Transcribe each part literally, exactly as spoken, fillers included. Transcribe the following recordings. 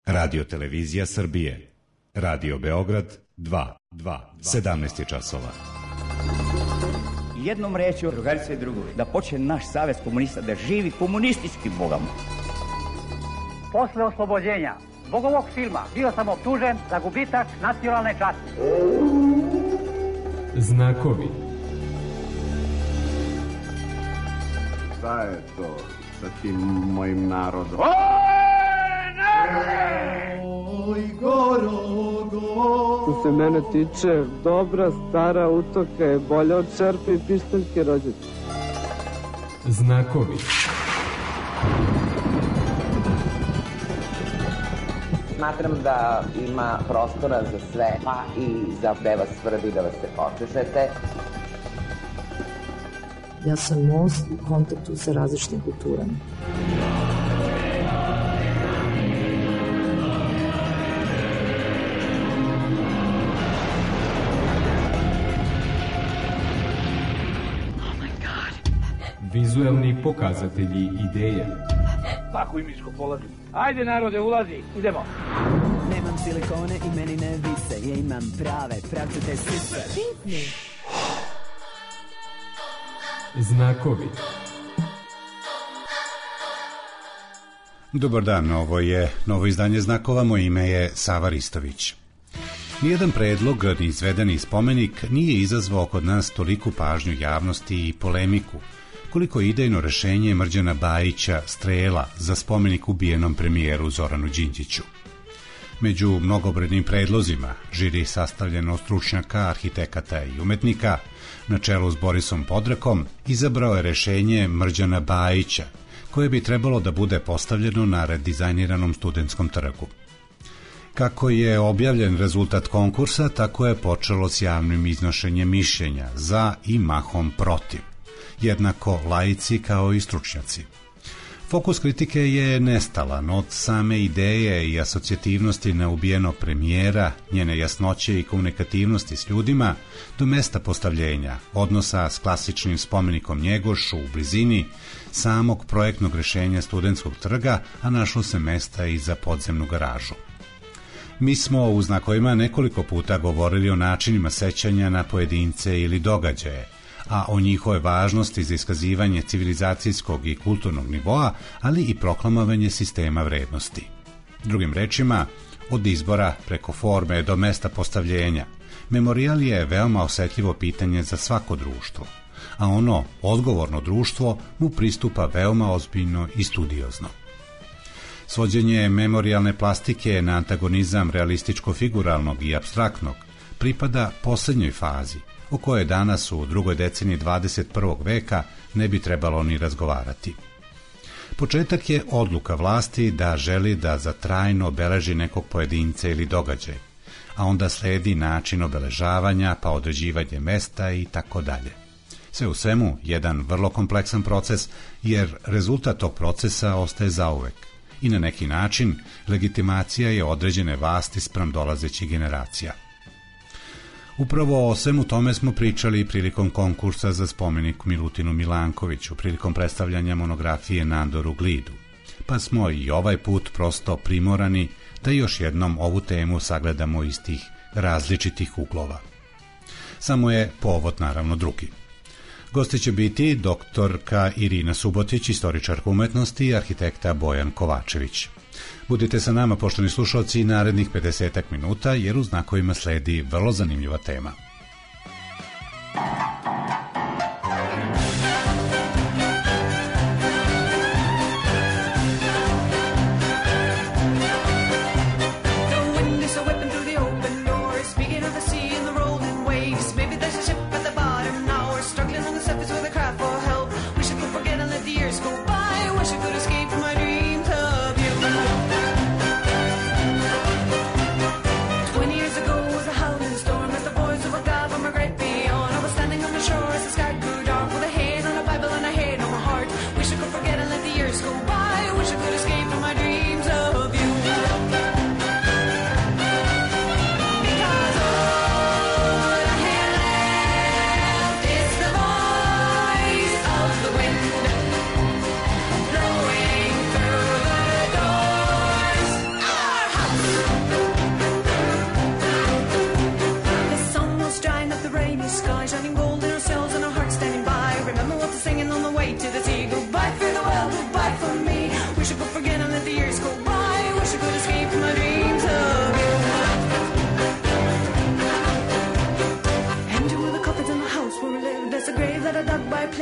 Radio Televizija Srbije. Radio Beograd dva, dva, sedamnaest je časova. Jednom rečju, drugarice i drugovi, da počne naš savez komunista da živi komunistički bogom. Posle oslobođenja zbog ovog filma bio sam optužen za gubitak nacionalne časti. Znakovi. Šta je to sa tim mojim narodom? Oj, Gorogo. Što se mene tiče, dobra stara utoka je bolja od čerpe i pištaljke rođete. Znakovi. Smatram da ima prostora za sve, pa i za gde vas svrbi da vas se počešete. Ja sam most u kontaktu sa različitim kulturama. Vizuelni pokazatelji ideja. Tako imičko polazi. Ajde narode, ulazi, idemo. Nemam silikone i meni ne vise, ja imam prave, pravcate sise. Znakovi. Dobar dan, ovo je novo izdanje Znakova, moje ime je Sava Ristović. Nijedan predlog ni izvedeni spomenik nije izazvao kod nas toliku pažnju javnosti i polemiku, koliko idejno rešenje Mrđana Bajića Strela za spomenik ubijenom premijeru Zoranu Đinđiću. Među mnogobrojnim predlozima, žiri sastavljeno od stručnjaka, arhitekata i umetnika, na čelu s Borisom Podrakom, izabrao je rešenje Mrđana Bajića, koje bi trebalo da bude postavljeno na redizajniranom Studentskom trgu. Kako je objavljen rezultat konkursa, tako je počelo s javnim iznošenjem mišljenja za i mahom protiv, jednako laici kao i stručnjaci. Fokus kritike je nestalan od same ideje i asocijativnosti na ubijenog premijera, njene jasnoće i komunikativnosti s ljudima, do mesta postavljenja, odnosa s klasičnim spomenikom Njegošu u blizini samog projektnog rešenja Studentskog trga, a našlo se mesta i za podzemnu garažu. Mi smo u Znakovima nekoliko puta govorili o načinima sećanja na pojedince ili događaje, a o njihovoj važnosti za iskazivanje civilizacijskog i kulturnog nivoa, ali i proklamovanje sistema vrednosti. Drugim rečima, od izbora preko forme do mesta postavljenja, memorijal je veoma osetljivo pitanje za svako društvo, a ono, odgovorno društvo, mu pristupa veoma ozbiljno i studiozno. Svođenje memorijalne plastike na antagonizam realističko-figuralnog i apstraktnog pripada poslednjoj fazi, o kojoj danas u drugoj deceniji dvadeset prvog veka ne bi trebalo ni razgovarati. Početak je odluka vlasti da želi da za trajno obeleži nekog pojedinca ili događaj, a onda sledi način obeležavanja, pa određivanje mesta i tako dalje. Sve u svemu, jedan vrlo kompleksan proces, jer rezultat tog procesa ostaje zauvek i na neki način legitimacija je određene vlasti spram dolazećih generacija. Upravo o svemu tome smo pričali prilikom konkursa za spomenik Milutinu Milankoviću, prilikom predstavljanja monografije Nandoru Glidu, pa smo i ovaj put prosto primorani da još jednom ovu temu sagledamo iz tih različitih uglova. Samo je povod naravno drugi. Gosti će biti doktorka Irina Subotić, istoričarka umetnosti, i arhitekta Bojan Kovačević. Budite sa nama, poštovani slušalci, narednih pedesetak minuta, jer u Znakovima sledi vrlo zanimljiva tema. Twenty years ago was a howling storm as the boys of a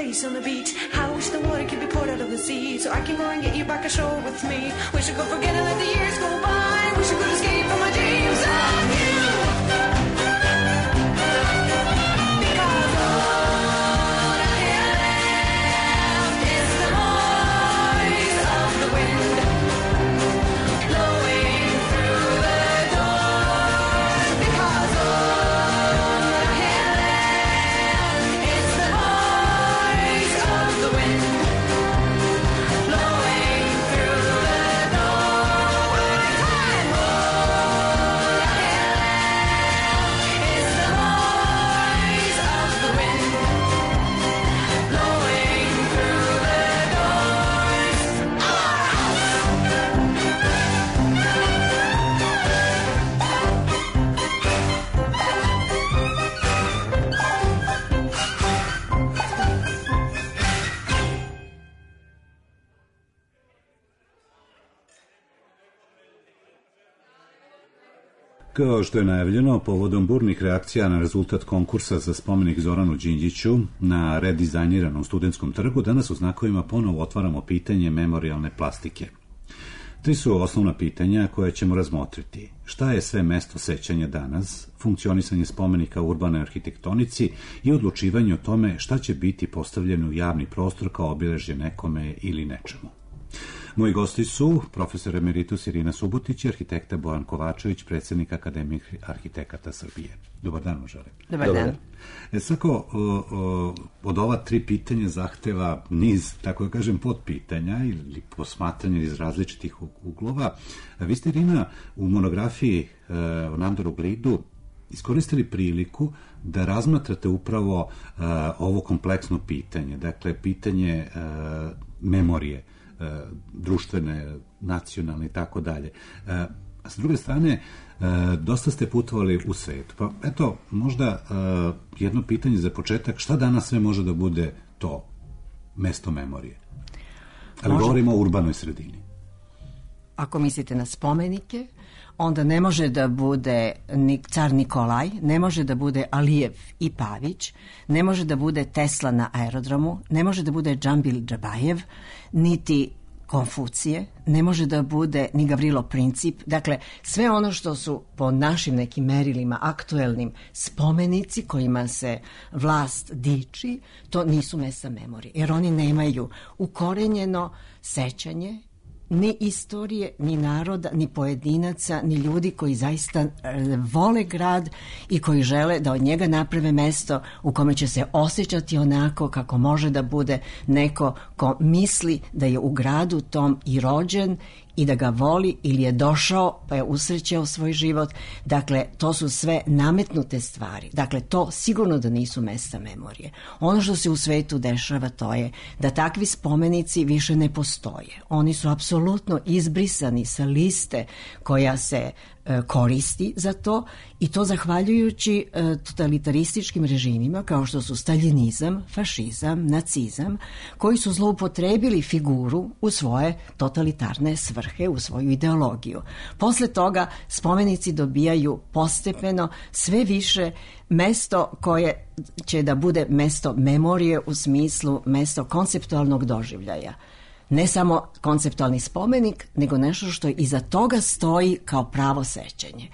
face on the beach. How I wish the water could be poured out of the sea, so I can go and get you back ashore with me. Wish I could forget and let the years go by. Wish I could escape from my dreams of you. Because all I hear left is the voice of the wind blowing through the door. Because all I hear left is the voice of the wind blowing through the door. One time, all I hear left is the voice of the wind blowing through the doors. Kao što je najavljeno, povodom burnih reakcija na rezultat konkursa za spomenik Zoranu Đinđiću na redizajniranom Studentskom trgu, danas u znakovima ponovo otvaramo pitanje memorijalne plastike. Tri su osnovna pitanja koje ćemo razmotriti. Šta je sve mesto sećanja danas, funkcionisanje spomenika u urbanoj arhitektonici i odlučivanje o tome šta će biti postavljeno u javni prostor kao obilježje nekome ili nečemu. Moji gosti su profesor emeritus Irina Subotić i arhitekta Bojan Kovačević, predsjednik Akademije arhitekata Srbije. Dobar dan vam želim. Dobar dan. E, svako o, o, od ova tri pitanja zahteva niz, tako da kažem, podpitanja ili posmatranja iz različitih uglova. A vi ste, Irina, u monografiji e, o Nandoru Glidu iskoristili priliku da razmatrate upravo e, ovo kompleksno pitanje, dakle pitanje e, memorije, društvene, nacionalne i tako dalje. A s druge strane, dosta ste putovali u svetu. Pa eto, možda jedno pitanje za početak, šta danas sve može da bude to mesto memorije? Ali može. Govorimo o urbanoj sredini. Ako mislite na spomenike, onda ne može da bude car Nikolaj, ne može da bude Alijev i Pavić, ne može da bude Tesla na aerodromu, ne može da bude Džambil Džabajev, niti Konfucije, ne može da bude ni Gavrilo Princip. Dakle, sve ono što su po našim nekim merilima aktuelnim spomenici kojima se vlast diči, to nisu mesta memorije, jer oni nemaju ukorenjeno sećanje ni istorije, ni naroda, ni pojedinaca, ni ljudi koji zaista vole grad i koji žele da od njega naprave mesto u kome će se osjećati onako kako može da bude neko ko misli da je u gradu tom i rođen i da ga voli ili je došao pa je usrećao svoj život. Dakle, to su sve nametnute stvari. Dakle, to sigurno da nisu mesta memorije. Ono što se u svetu dešava to je da takvi spomenici više ne postoje. Oni su apsolutno izbrisani sa liste koja se e, koristi za to i to zahvaljujući e, totalitarističkim režimima kao što su staljinizam, fašizam, nacizam, koji su zloupotrebili figuru u svoje totalitarne svrhe, u svoju ideologiju. Posle toga spomenici dobijaju postepeno sve više mesto koje će da bude mesto memorije u smislu mesto konceptualnog doživljaja. Ne samo konceptualni spomenik, nego nešto što iza toga stoji kao pravo sećanje.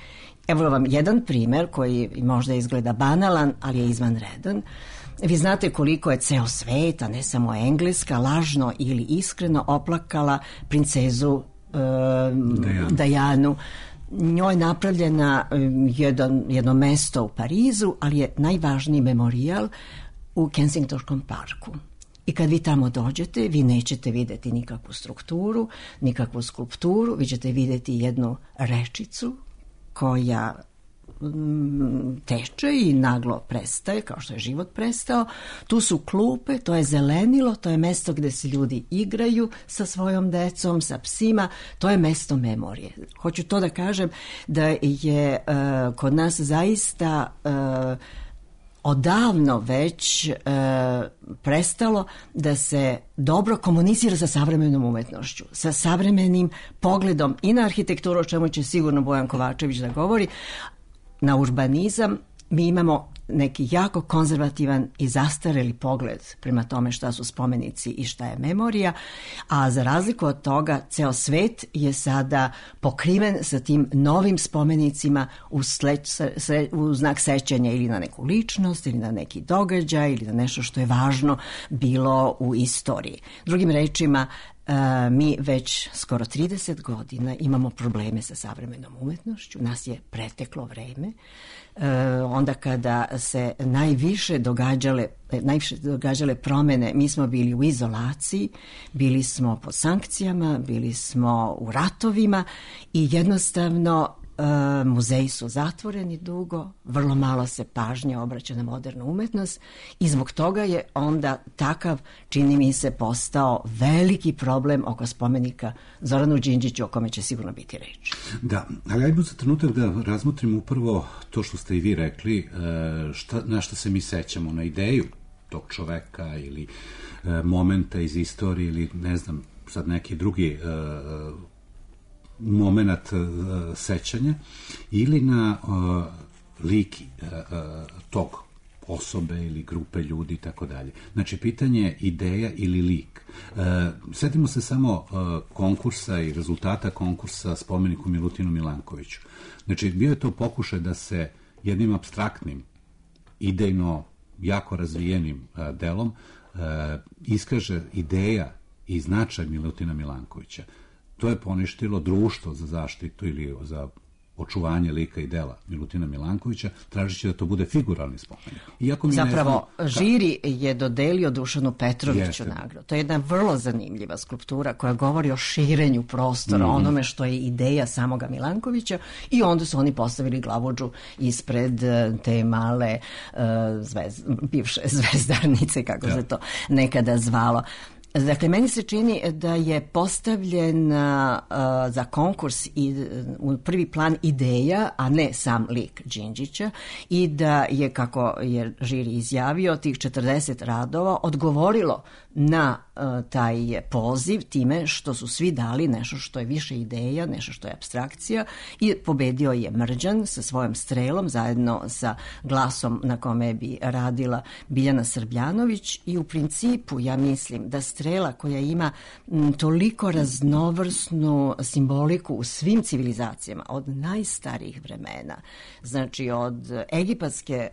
Evo vam jedan primer koji možda izgleda banalan, ali je izvanredan. Vi znate koliko je ceo svet, a ne samo Engleska, lažno ili iskreno oplakala princezu e, Dajanu. Dajanu. Njoj je napravljena jedan, jedno mesto u Parizu, ali je najvažniji memorijal u Kensingtonskom parku. I kad vi tamo dođete, vi nećete videti nikakvu strukturu, nikakvu skulpturu, vi ćete videti jednu rečicu koja mm, teče i naglo prestaje, kao što je život prestao. Tu su klupe, to je zelenilo, to je mesto gde se ljudi igraju sa svojom decom, sa psima, to je mesto memorije. Hoću to da kažem da je uh, kod nas zaista uh, odavno već e, prestalo da se dobro komunicira sa savremenom umetnošću, sa savremenim pogledom i na arhitekturu, o čemu će sigurno Bojan Kovačević da govori, na urbanizam. Mi imamo neki jako konzervativan i zastareli pogled prema tome šta su spomenici i šta je memorija, a za razliku od toga ceo svet je sada pokriven sa tim novim spomenicima u, sled, se, u znak sećanja ili na neku ličnost ili na neki događaj ili na nešto što je važno bilo u istoriji. Drugim rečima, Uh, mi već skoro trideset godina imamo probleme sa savremenom umetnošću, nas je preteklo vreme, uh, onda kada se najviše događale, najviše događale promene, mi smo bili u izolaciji, bili smo pod sankcijama, bili smo u ratovima i jednostavno Uh, muzeji su zatvoreni dugo, vrlo malo se pažnje obraća na modernu umetnost i zbog toga je onda takav, čini mi se, postao veliki problem oko spomenika Zoranu Đinđiću, o kome će sigurno biti reč. Da, ali ajmo za trenutak da razmotrimo upravo to što ste i vi rekli, šta, na šta se mi sećamo, na ideju tog čoveka ili momenta iz istorije ili ne znam, sad neki drugi moment uh, sećanja ili na uh, lik uh, tog osobe ili grupe ljudi i tako dalje. Znači, pitanje je ideja ili lik. Uh, setimo se samo uh, konkursa i rezultata konkursa spomeniku Milutinu Milankoviću. Znači, bio je to pokušaj da se jednim apstraktnim, idejno jako razvijenim uh, delom uh, iskaže ideja i značaj Milutina Milankovića. To je poništilo društvo za zaštitu ili za očuvanje lika i dela Milutina Milankovića, tražići da to bude figuralni spomenik. Iako mi Zapravo, ne znam, žiri je dodelio Dušanu Petroviću Jeste. nagradu. To je jedna vrlo zanimljiva skulptura koja govori o širenju prostora, mm-hmm. onome što je ideja samoga Milankovića, i onda su oni postavili glavodžu ispred te male uh, zvez, bivše zvezdarnice, kako ja. se to nekada zvalo. Dakle, meni se čini da je postavljen uh, za konkurs i u prvi plan ideja, a ne sam lik Đinđića, i da je, kako je žiri izjavio, tih četrdeset radova odgovorilo na uh, taj poziv time što su svi dali nešto što je više ideja, nešto što je apstrakcija, i pobedio je Mrđan sa svojom strelom zajedno sa glasom na kome bi radila Biljana Srbljanović, i u principu ja mislim da strela koja ima m, toliko raznovrsnu simboliku u svim civilizacijama od najstarijih vremena, znači od egipatske e,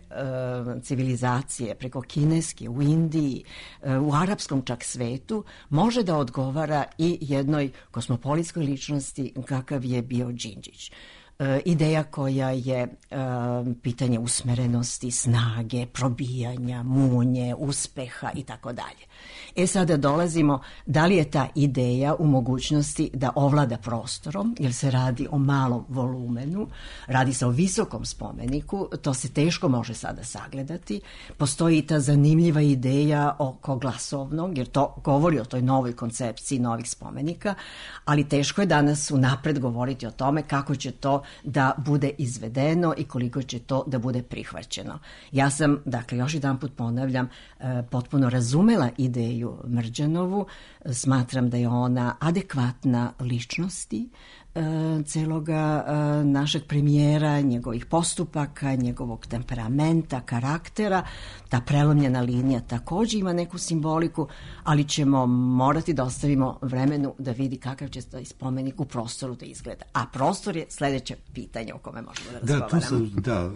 civilizacije preko kineske u Indiji, e, u arapskom čak svetu, može da odgovara i jednoj kosmopolitskoj ličnosti kakav je bio Đinđić. E, ideja koja je e, pitanje usmerenosti, snage, probijanja, munje, uspeha i tako dalje. E sada dolazimo, da li je ta ideja u mogućnosti da ovlada prostorom, jer se radi o malom volumenu, radi se o visokom spomeniku, to se teško može sada sagledati. Postoji i ta zanimljiva ideja oko glasovnog, jer to govori o toj novoj koncepciji novih spomenika, ali teško je danas unapred govoriti o tome kako će to da bude izvedeno i koliko će to da bude prihvaćeno. Ja sam, dakle, još jedan put ponavljam, potpuno razumela ideju Mrđanovu, smatram da je ona adekvatna ličnosti e, celoga e, našeg premijera, njegovih postupaka, njegovog temperamenta, karaktera. Ta prelomljena linija takođe ima neku simboliku, ali ćemo morati da ostavimo vremenu da vidi kakav će taj spomenik u prostoru da izgleda. A prostor je sledeće pitanje o kome možemo da razgovaramo. Da, to sam, da, uh,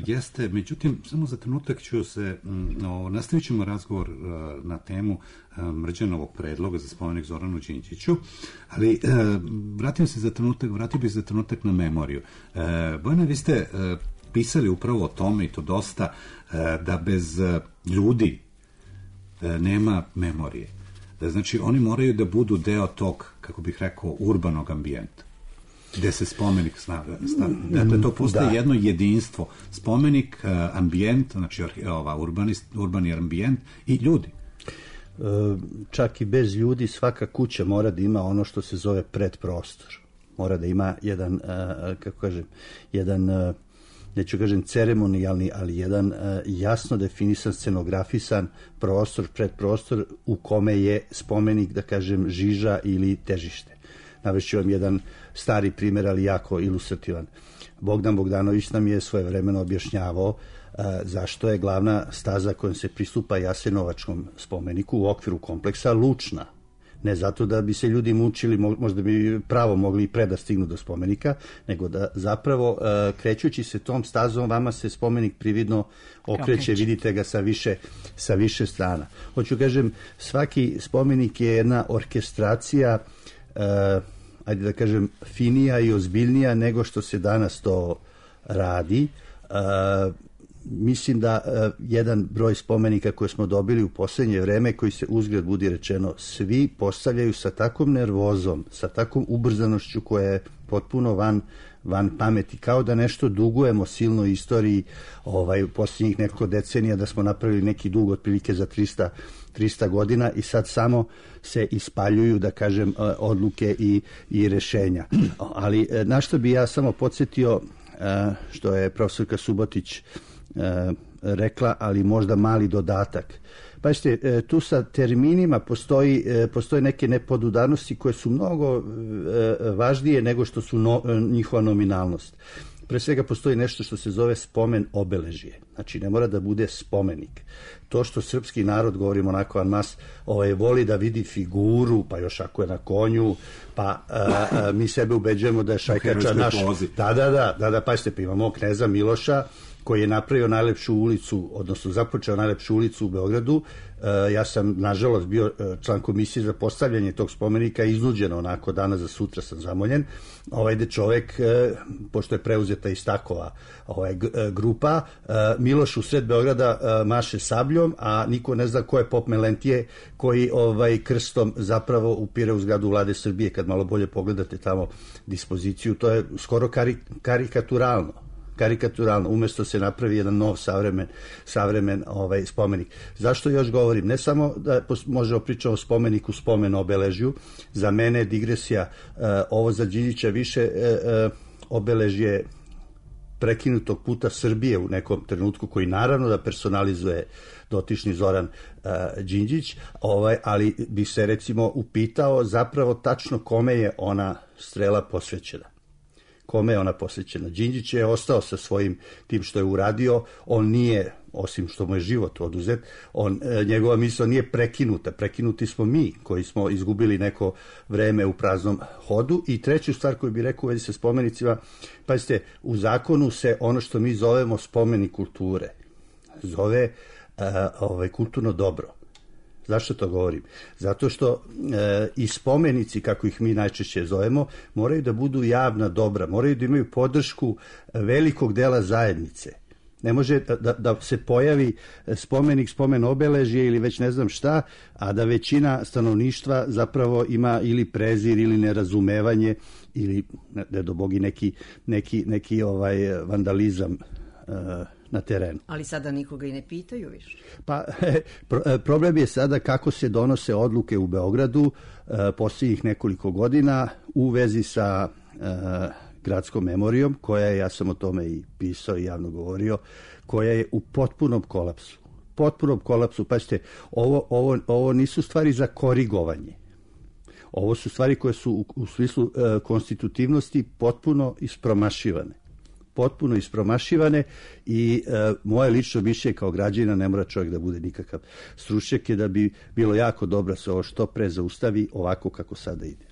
jeste. Međutim, samo za trenutak ću se, no, nastavit ćemo razgovor uh, na temu uh, Mrđanovog predloga za spomenik Zoranu Đinđiću, ali uh, vratim se za trenutak, vratio bih za trenutak na memoriju. Uh, Bojana, vi ste uh, pisali upravo o tome, i to dosta, uh, da bez uh, ljudi uh, nema memorije. Da, znači, oni moraju da budu deo tog, kako bih rekao, urbanog ambijenta, gde se spomenik stavlja. Dakle, to postaje da. jedno jedinstvo. Spomenik, uh, ambijent, znači ova, urbanist, urbani ambijent i ljudi. Čak i bez ljudi svaka kuća mora da ima ono što se zove predprostor. Mora da ima jedan, kako kažem, jedan, neću kažem ceremonijalni, ali jedan jasno definisan, scenografisan prostor, predprostor u kome je spomenik, da kažem, žiža ili težište. Navešću vam jedan stari primjer, ali jako ilustrativan. Bogdan Bogdanović nam je svojevremeno objašnjavao zašto je glavna staza kojom se pristupa Jasenovačkom spomeniku u okviru kompleksa Lučna. Ne zato da bi se ljudi mučili, možda bi pravo mogli i pre da stignu do spomenika, nego da zapravo krećući se tom stazom vama se spomenik prividno okreće, vidite ga sa više, sa više strana. Hoću kažem, svaki spomenik je jedna orkestracija, ajde da kažem, finija i ozbiljnija nego što se danas to radi. Mislim da uh, jedan broj spomenika koje smo dobili u posljednje vreme, koji se uzgled budi rečeno svi postavljaju sa takvom nervozom, sa takvom ubrzanošću koja je potpuno van, van pameti, kao da nešto dugujemo silnoj istoriji ovaj, u posljednjih nekoliko decenija, da smo napravili neki dug otprilike za trista, trista godina i sad samo se ispaljuju, da kažem, odluke i, i rešenja. Ali na što bi ja samo podsjetio, što je profesorka Subotić rekla, ali možda mali dodatak. Pazite, tu sa terminima postoji, postoje neke nepodudarnosti koje su mnogo važnije nego što su no, njihova nominalnost. Pre svega postoji nešto što se zove spomen obeležje. Znači, ne mora da bude spomenik. To što srpski narod, govorimo onako an mas, ovaj, voli da vidi figuru, pa još ako je na konju, pa a, a, mi sebe ubeđujemo da je šajkača naš... Da, da, da, da, da, pazite, pa imamo kneza Miloša, koji je napravio najlepšu ulicu, odnosno započeo najlepšu ulicu u Beogradu. E, ja sam, nažalost, bio član komisije za postavljanje tog spomenika, iznuđeno onako, danas za sutra sam zamoljen. Ovaj de čovek, e, pošto je preuzeta iz takova ovaj, grupa, e, Miloš u sred Beograda e, maše sabljom, a niko ne zna ko je Pop Melentije, koji ovaj, krstom zapravo upire u zgradu Vlade Srbije. Kad malo bolje pogledate tamo dispoziciju, to je skoro kari, karikaturalno. karikaturalno, umjesto se napravi jedan nov savremen, savremen ovaj, spomenik. Zašto još govorim? Ne samo da možemo pričati o spomeniku, spomen obeležju, za mene digresija, uh, ovo za Đinđića više uh, obeležje prekinutog puta Srbije u nekom trenutku, koji naravno da personalizuje dotični Zoran uh, Đinđić, ovaj, ali bi se recimo upitao zapravo tačno kome je ona strela posvećena. Kome je ona posvećena? Đinđić je ostao sa svojim tim što je uradio, on nije, osim što mu je život oduzet, on, njegova misao nije prekinuta, prekinuti smo mi koji smo izgubili neko vreme u praznom hodu. I treću stvar koju bih rekao u vezi sa spomenicima, pazite, u zakonu se ono što mi zovemo spomenik kulture zove uh, ovaj, kulturno dobro. Zašto to govorim? Zato što e, i spomenici, kako ih mi najčešće zovemo, moraju da budu javna dobra, moraju da imaju podršku velikog dela zajednice. Ne može da, da, da se pojavi spomenik, spomen obeležje ili već ne znam šta, a da većina stanovništva zapravo ima ili prezir ili nerazumevanje ili, ne do bogi, neki, neki, neki ovaj vandalizam e, na terenu. Ali sada nikoga i ne pitaju više. Pa problem je sada kako se donose odluke u Beogradu e, posljednjih nekoliko godina u vezi sa e, gradskom memorijom, koja je, ja sam o tome i pisao i javno govorio, koja je u potpunom kolapsu. Potpunom kolapsu. Pazite, ovo, ovo, ovo nisu stvari za korigovanje. Ovo su stvari koje su u, u smislu e, konstitutivnosti potpuno ispromašivane. potpuno ispromašivane i e, moje lično mišljenje kao građanina, ne mora čovjek da bude nikakav stručnjak, je da bi bilo jako dobro se ovo što pre zaustavi ovako kako sada ide.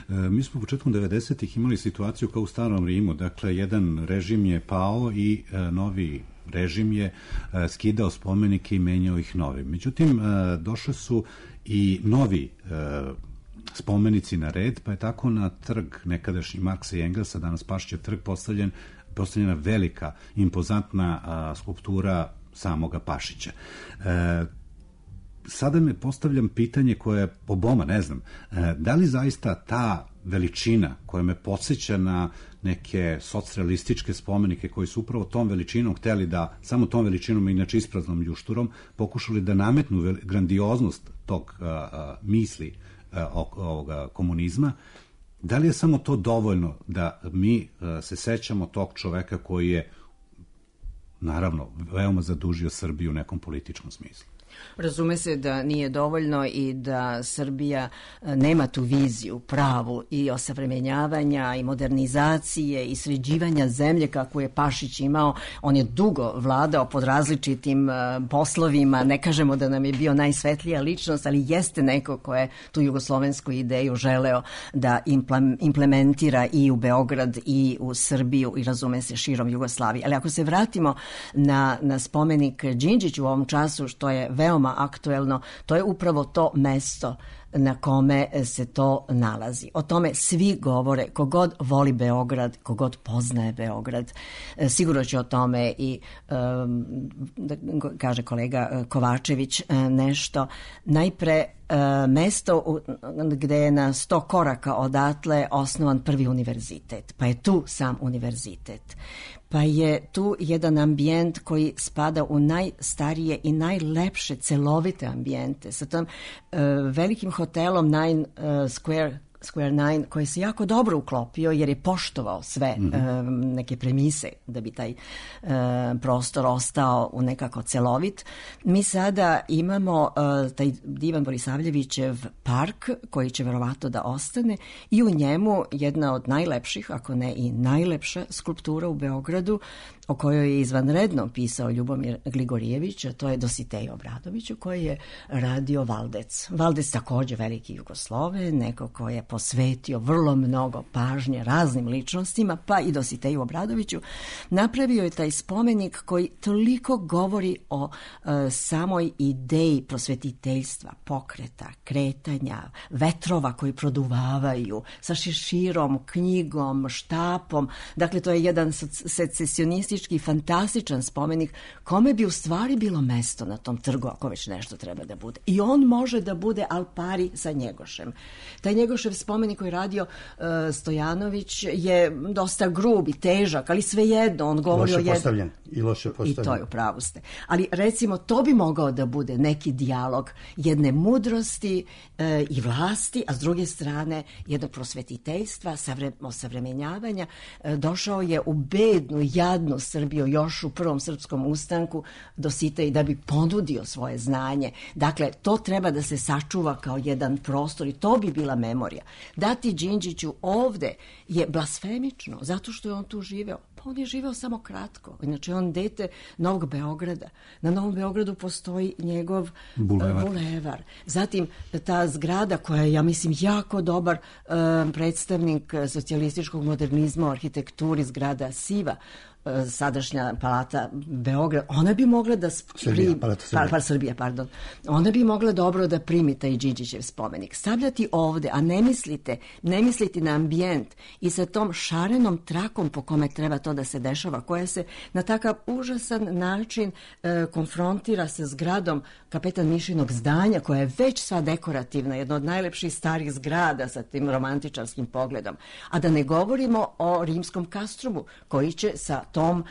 E, mi smo početkom devedesetih imali situaciju kao u Starom Rimu, dakle jedan režim je pao i e, novi režim je e, skidao spomenike i menjao ih novim. Međutim, e, došle su i novi e, spomenici na red, pa je tako na trg nekadašnji Marksa i Engelsa, danas Pašćev trg, postavljen postavljena velika, impozantna a, skulptura samoga Pašića. E, sada me postavljam pitanje koje po boma, ne znam, e, da li zaista ta veličina koja me podsjeća na neke socrealističke spomenike koji su upravo tom veličinom hteli da, samo tom veličinom, inače ispraznom ljušturom, pokušali da nametnu grandioznost tog a, a, misli a, ovoga komunizma. Da li je samo to dovoljno da mi uh, se sećamo tog čoveka koji je, naravno, veoma zadužio Srbiju u nekom političkom smislu? Razume se da nije dovoljno i da Srbija nema tu viziju pravu i osavremenjavanja i modernizacije i sređivanja zemlje kako je Pašić imao. On je dugo vladao pod različitim poslovima, ne kažemo da nam je bio najsvetlija ličnost, ali jeste neko ko je tu jugoslovensku ideju želeo da implementira i u Beograd i u Srbiju i razume se širom Jugoslavije. Ali ako se vratimo na, na spomenik Đinđiću u ovom času, što je veoma aktuelno, to je upravo to mesto na kome se to nalazi. O tome svi govore, kogod voli Beograd, kogod poznaje Beograd. Sigurno će o tome i, da kaže kolega Kovačević nešto. Najpre, mesto gde je na sto koraka odatle osnovan prvi univerzitet, pa je tu sam univerzitet. Pa je tu jedan ambijent koji spada u najstarije i najlepše celovite ambijente sa tom uh, velikim hotelom Nine uh, Square Square Nine, koji se jako dobro uklopio jer je poštovao sve mm-hmm. um, neke premise da bi taj um, prostor ostao u nekako celovit. Mi sada imamo uh, taj divan Borisavljevićev park koji će verovatno da ostane i u njemu jedna od najlepših, ako ne i najlepša skulptura u Beogradu, o kojoj je izvanredno pisao Ljubomir Gligorijević, a to je Dositej Obradović, koji je radio Valdec. Valdec takođe veliki Jugoslove, neko ko je posvetio vrlo mnogo pažnje raznim ličnostima, pa i Dositeju Obradoviću. Napravio je taj spomenik koji toliko govori o uh, samoj ideji prosvetiteljstva, pokreta, kretanja, vetrova koji produvavaju, sa šeširom, knjigom, štapom. Dakle, to je jedan secesionistički fantastičan spomenik kome bi u stvari bilo mesto na tom trgu ako već nešto treba da bude. I on može da bude al pari sa Njegošem. Taj Njegošev spomenik koji je radio uh, Stojanović je dosta grub i težak, ali svejedno on govori loše o jednom... postavljen i loše postavljen. I to je, u pravu ste. Ali recimo to bi mogao da bude neki dijalog jedne mudrosti uh, i vlasti, a s druge strane jednog prosvetiteljstva, savre, osavremenjavanja. Uh, došao je u bednu, jadnu Srbiju još u prvom srpskom ustanku Dositej da bi ponudio svoje znanje. Dakle, to treba da se sačuva kao jedan prostor i to bi bila memorija. Dati Đinđiću ovde je blasfemično, zato što je on tu živeo. Pa on je živeo samo kratko. Inače, on dete Novog Beograda. Na Novom Beogradu postoji njegov bulevar. bulevar. Zatim, ta zgrada koja je, ja mislim, jako dobar um, predstavnik socijalističkog modernizma u arhitekturi, zgrada Siva, sadašnja palata Beograd, ona bi mogla da Srbija, pri... palata Srbija. Pa, pa, Srbija, pardon. Ona bi mogla dobro da primi taj Đinđićev spomenik. Stavljati ovde, a ne mislite, ne misliti na ambijent i sa tom šarenom trakom po kome treba to da se dešava, koja se na takav užasan način e, konfrontira sa zgradom Kapetan Mišinog zdanja, koja je već sva dekorativna, jedna od najlepših starih zgrada sa tim romantičarskim pogledom. A da ne govorimo o rimskom kastrumu, koji će sa tom e,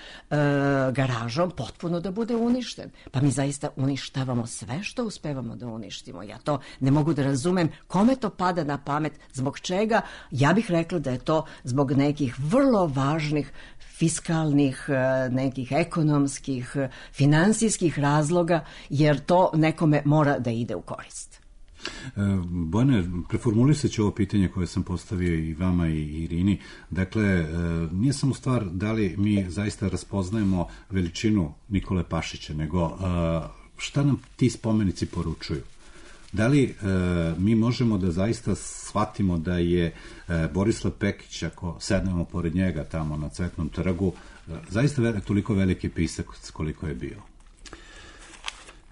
garažom potpuno da bude uništen. Pa mi zaista uništavamo sve što uspevamo da uništimo. Ja to ne mogu da razumem kome to pada na pamet, zbog čega. Ja bih rekla da je to zbog nekih vrlo važnih fiskalnih, nekih ekonomskih, finansijskih razloga, jer to nekome mora da ide u korist. Bojane, preformulisat ću ovo pitanje koje sam postavio i vama i Irini. Dakle, nije samo stvar da li mi zaista raspoznajemo veličinu Nikole Pašića, nego šta nam ti spomenici poručuju? Da li e, mi možemo da zaista shvatimo da je e, Borislav Pekić, ako sednemo pored njega tamo na Cvetnom trgu, e, zaista ve, toliko veliki pisak koliko je bio?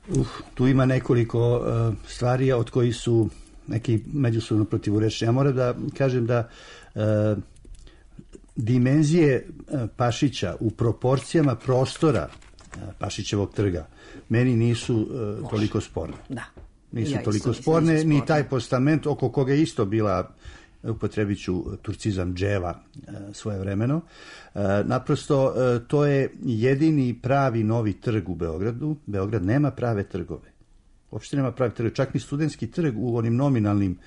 Uh, tu ima nekoliko uh, stvari od kojih su neki međusobno protivurečni. Ja moram da kažem da uh, dimenzije uh, Pašića u proporcijama prostora uh, Pašićevog trga meni nisu uh, toliko sporne. Da. Nisu ja toliko sporne, ni taj postament oko koga je isto bila, upotrebit ću turcizam, dževa svoje vremeno. Naprosto, to je jedini pravi novi trg u Beogradu. Beograd nema prave trgove. Uopšte nema prave trgove. Čak ni studentski trg u onim nominalnim,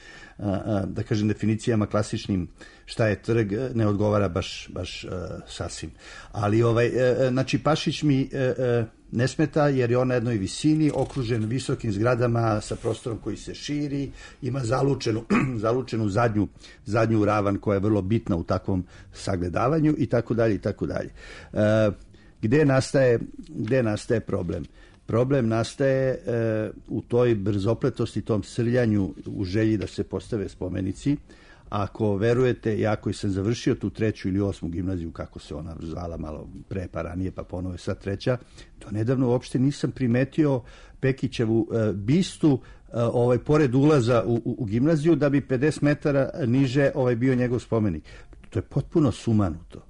da kažem, definicijama klasičnim šta je trg, ne odgovara baš, baš uh, sasvim. Ali, ovaj, uh, znači, Pašić mi uh, ne smeta jer je on na jednoj visini, okružen visokim zgradama sa prostorom koji se širi, ima zalučenu, zalučenu zadnju, zadnju ravan koja je vrlo bitna u takvom sagledavanju i tako dalje i tako dalje. Uh, gde nastaje, gde nastaje problem? Problem nastaje e, u toj brzopletosti, tom srljanju u želji da se postave spomenici. Ako verujete, ja koji sam završio tu treću ili osmu gimnaziju, kako se ona zvala malo pre pa ranije, pa ponovo je sad treća, do nedavno uopšte nisam primetio Pekićevu e, bistu e, ovaj, pored ulaza u, u, u gimnaziju, da bi pedeset metara niže ovaj, bio njegov spomenik. To je potpuno sumanuto.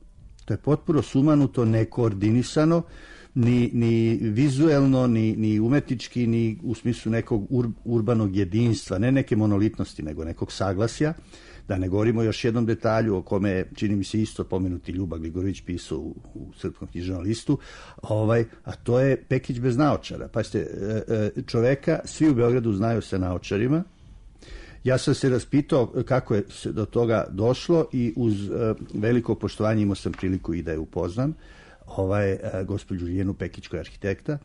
To je potpuno sumanuto, nekoordinisano, Ni, ni vizuelno, ni, ni umetnički, ni u smislu nekog ur, urbanog jedinstva, ne neke monolitnosti, nego nekog saglasja. Da ne govorimo još jednom detalju o kome je, čini mi se, isto pomenuti Ljuba Gligorović pisao u, u Srpskom književnom listu, ovaj, a to je Pekić bez naočara. Pazite, čoveka svi u Beogradu znaju sa naočarima. Ja sam se raspitao kako je se do toga došlo i uz veliko poštovanje imao sam priliku i da je upoznam. Ovaj, gospođu Žijenu Pekić koja je arhitekta,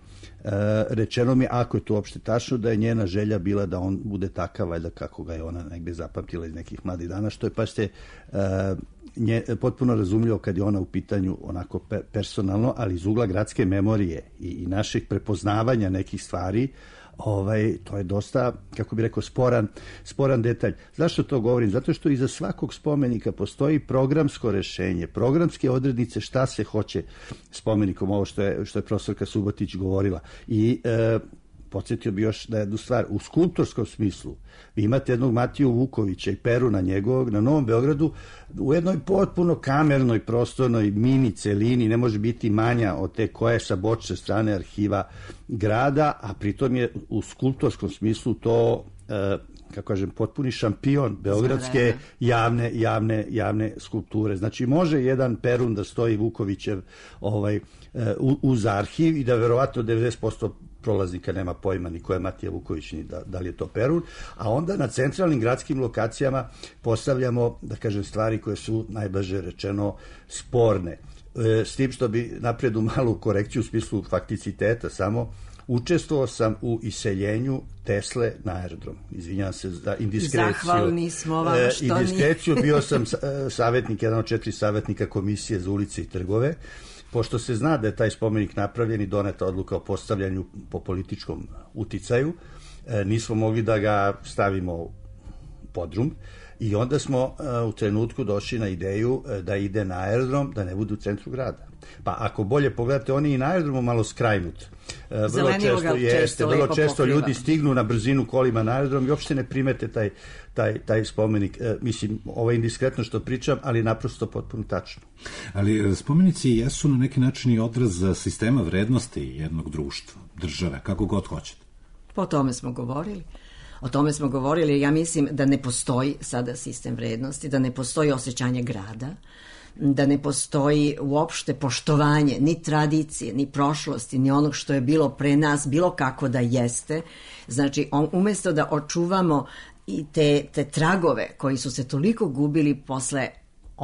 rečeno mi, ako je to uopšte tačno, da je njena želja bila da on bude takav, valjda kako ga je ona negde zapamtila iz nekih mladih dana, što je, pa ste nje, potpuno razumljivo kad je ona u pitanju onako personalno, ali iz ugla gradske memorije i, i naših prepoznavanja nekih stvari, ovaj, to je dosta, kako bi rekao, sporan, sporan detalj. Zašto to govorim? Zato što iza svakog spomenika postoji programsko rešenje, programske odrednice šta se hoće spomenikom, ovo što je, što je profesorka Subotić govorila. I e, podsjetio bi još da jednu stvar, u skulptorskom smislu, vi imate jednog Matiju Vukovića i Peruna njegovog na Novom Beogradu u jednoj potpuno kamernoj prostornoj mini celini, ne može biti manja od te koje sa bočne strane arhiva grada, a pritom je u skulptorskom smislu to, e, kako kažem, potpuni šampion beogradske javne, javne, javne skulpture. Znači, može jedan Perun da stoji Vukovićev ovaj, uz arhiv i da verovatno devedeset posto prolaznika nema pojma ni ko je Matija Vuković, ni da, da li je to Perun, a onda na centralnim gradskim lokacijama postavljamo, da kažem, stvari koje su najblaže rečeno sporne. E, s tim što bi napredu malu korekciju u smislu fakticiteta samo, učestvovao sam u iseljenju Tesle na aerodrom. Izvinjavam se za indiskreciju. Zahvalni smo vam što e, indiskreciju, bio sam savjetnik, jedan od četiri savjetnika komisije za ulice i trgove. Pošto se zna da je taj spomenik napravljen i doneta odluka o postavljanju po političkom uticaju, e, nismo mogli da ga stavimo u podrum i onda smo e, u trenutku došli na ideju e, da ide na aerodrom, da ne bude u centru grada. Pa ako bolje pogledate, on je i na aerodromu malo skrajnut. E, vrlo često, jeste, vrlo često ljudi stignu na brzinu kolima na aerodrom i uopšte ne primete taj, taj, taj spomenik. E, mislim, ovo je indiskretno što pričam, ali naprosto potpuno tačno. Ali spomenici jesu na neki način i odraz sistema vrednosti jednog društva, države, kako god hoćete. Po tome smo govorili. O tome smo govorili. Ja mislim da ne postoji sada sistem vrednosti, da ne postoji osjećanje grada, da ne postoji uopšte poštovanje ni tradicije, ni prošlosti, ni onog što je bilo pre nas, bilo kako da jeste. Znači, on, umjesto da očuvamo i te, te tragove koji su se toliko gubili posle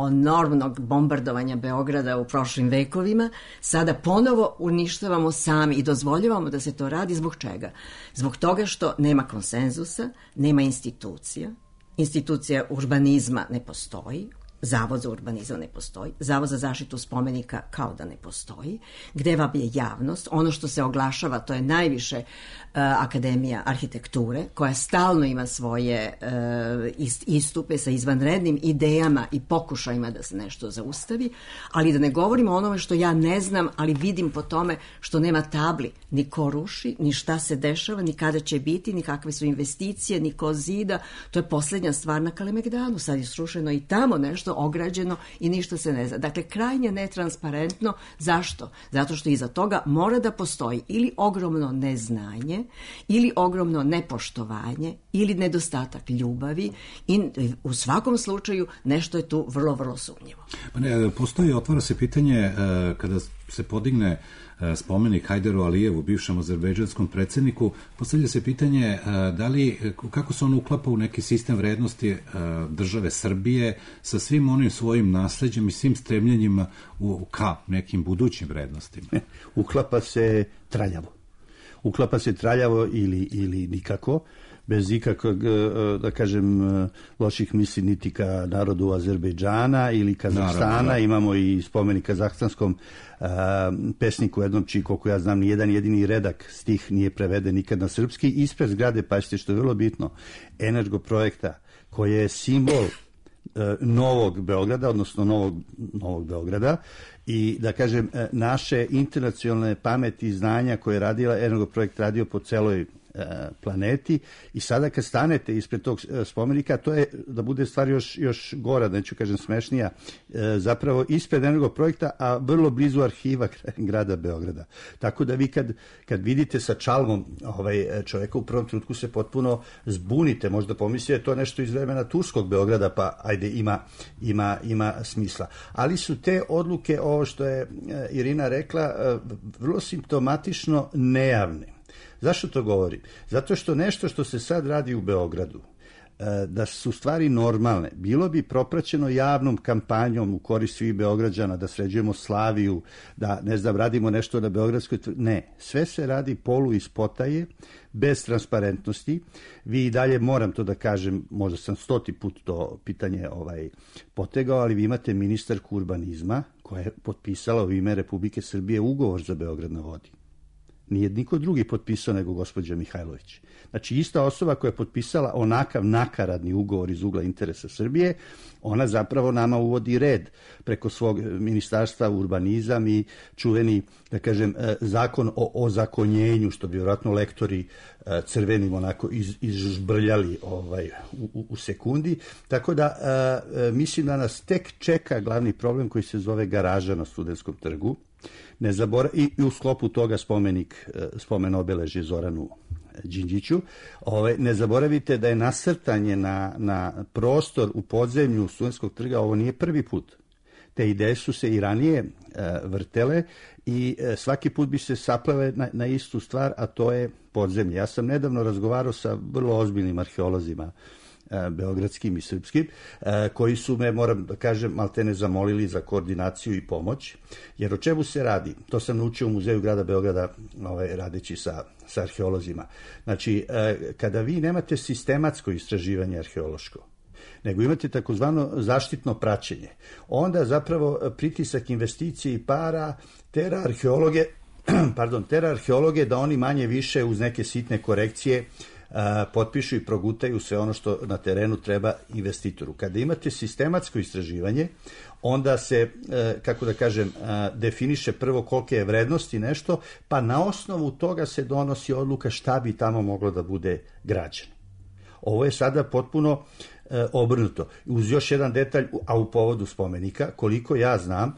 enormnog bombardovanja Beograda u prošlim vekovima, sada ponovo uništavamo sami i dozvoljavamo da se to radi. Zbog čega? Zbog toga što nema konsenzusa, nema institucija, institucija urbanizma ne postoji, Zavod za urbanizam ne postoji, Zavod za zaštitu spomenika kao da ne postoji, gde vam je javnost, ono što se oglašava, to je najviše uh, Akademija arhitekture, koja stalno ima svoje uh, istupe sa izvanrednim idejama i pokušajima da se nešto zaustavi, ali da ne govorimo o onome što ja ne znam, ali vidim po tome što nema tabli, ni ko ruši, ni šta se dešava, ni kada će biti, ni kakve su investicije, ni ko zida, to je poslednja stvar na Kalemegdanu, sad je srušeno i tamo nešto ograđeno i ništa se ne zna. Dakle, krajnje netransparentno. Zašto? Zato što iza toga mora da postoji ili ogromno neznanje, ili ogromno nepoštovanje, ili nedostatak ljubavi i u svakom slučaju nešto je tu vrlo, vrlo sumnjivo. Pa ne, postoji, otvara se pitanje kada se podigne spomenik Hajderu Alijevu, bivšem azerbejdžanskom predsjedniku, postavlja se pitanje da li, kako se on uklapa u neki sistem vrednosti države Srbije sa svim svim onim svojim nasleđem i svim stremljenjima u, ka nekim budućim vrednostima? Uklapa se traljavo. Uklapa se traljavo ili, ili nikako, bez ikakvog, da kažem, loših misli niti ka narodu Azerbejdžana ili Kazahstana. Naravno, da. Imamo i spomenik kazahstanskom a, pesniku jednom, čiji, koliko ja znam, nijedan jedini redak stih nije preveden nikad na srpski. Ispred zgrade, pazite što je vrlo bitno, Energoprojekta, koji je simbol Novog Beograda, odnosno Novog, Novog Beograda, i da kažem naše internacionalne pameti i znanja koje je radila Energoprojekt radio po celoj planeti, i sada kad stanete ispred tog spomenika, to je, da bude stvar još, još gora, neću kažem smešnija, zapravo ispred Energoprojekta, a vrlo blizu arhiva grada Beograda. Tako da vi kad, kad vidite sa čalmom ovaj, čoveka, u prvom trenutku se potpuno zbunite, možda pomislite to nešto iz vremena turskog Beograda, pa ajde, ima, ima, ima smisla. Ali su te odluke, ovo što je Irina rekla, vrlo simptomatično nejavne. Zašto to govorim? Zato što nešto što se sad radi u Beogradu, da su stvari normalne, bilo bi propraćeno javnom kampanjom u korist svih Beograđana, da sređujemo Slaviju, da, ne znam, radimo nešto na Beogradskoj... Ne, sve se radi polu iz potaje, bez transparentnosti. Vi i dalje, moram to da kažem, možda sam stoti put to pitanje ovaj, potegao, ali vi imate ministarku urbanizma koja je potpisala u ime Republike Srbije ugovor za Beograd na vodi. Nije niko drugi potpisao nego gospođa Mihajlović. Znači, ista osoba koja je potpisala onakav nakaradni ugovor iz ugla interesa Srbije, ona zapravo nama uvodi red preko svog ministarstva urbanizam i čuveni, da kažem, zakon o ozakonjenju, što bi vjerojatno lektori crvenim onako iz, izžbrljali ovaj, u, u sekundi. Tako da mislim da nas tek čeka glavni problem koji se zove garaža na Studentskom trgu. Ne zabora, i, i u sklopu toga spomenik, spomen obeležje Zoranu Đinđiću. Ove, ne zaboravite da je nasrtanje na, na prostor u podzemlju Studentskog trga, ovo nije prvi put. Te ideje su se i ranije e, vrtele i e, svaki put bi se saplele na, na istu stvar, a to je podzemlje. Ja sam nedavno razgovarao sa vrlo ozbiljnim arheolozima, beogradskim i srpskim, koji su me, moram da kažem, maltene zamolili za koordinaciju i pomoć, jer o čemu se radi? To sam naučio u Muzeju grada Beograda, ovaj, radeći sa, sa arheolozima. Znači, kada vi nemate sistematsko istraživanje arheološko, nego imate takozvano zaštitno praćenje, onda zapravo pritisak investicije i para tera arheologe, pardon, tera arheologe da oni manje više uz neke sitne korekcije potpišu i progutaju sve ono što na terenu treba investitoru. Kada imate sistematsko istraživanje, onda se, kako da kažem, definiše prvo kolike je vrednosti nešto, pa na osnovu toga se donosi odluka šta bi tamo moglo da bude građeno. Ovo je sada potpuno obrnuto. Uz još jedan detalj, a u povodu spomenika, koliko ja znam,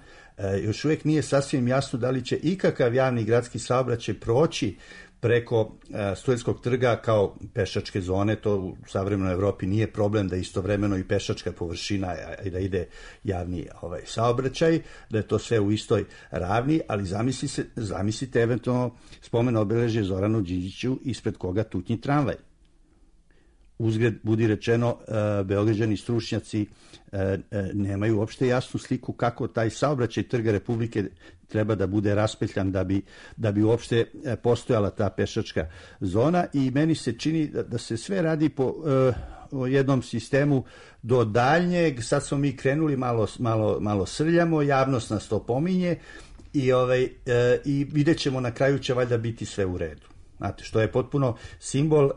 još uvijek nije sasvim jasno da li će ikakav javni gradski saobraćaj proći preko Studentskog trga kao pešačke zone. To u savremenoj Evropi nije problem da istovremeno i pešačka površina i da ide javni ovaj, saobraćaj, da je to sve u istoj ravni, ali zamisli se, zamislite eventualno spomen obeležje Zoranu Đinđiću ispred koga tutnji tramvaj. Uzgred, budi rečeno, Beograđani stručnjaci nemaju uopšte jasnu sliku kako taj saobraćaj Trga Republike treba da bude raspetljan da bi, da bi uopšte postojala ta pešačka zona, i meni se čini da, da se sve radi po o jednom sistemu do daljnjeg. Sad smo mi krenuli, malo, malo, malo srljamo, javnost nas to pominje i, ovaj, i vidjet ćemo na kraju će valjda biti sve u redu. Znate, što je potpuno simbol uh, uh,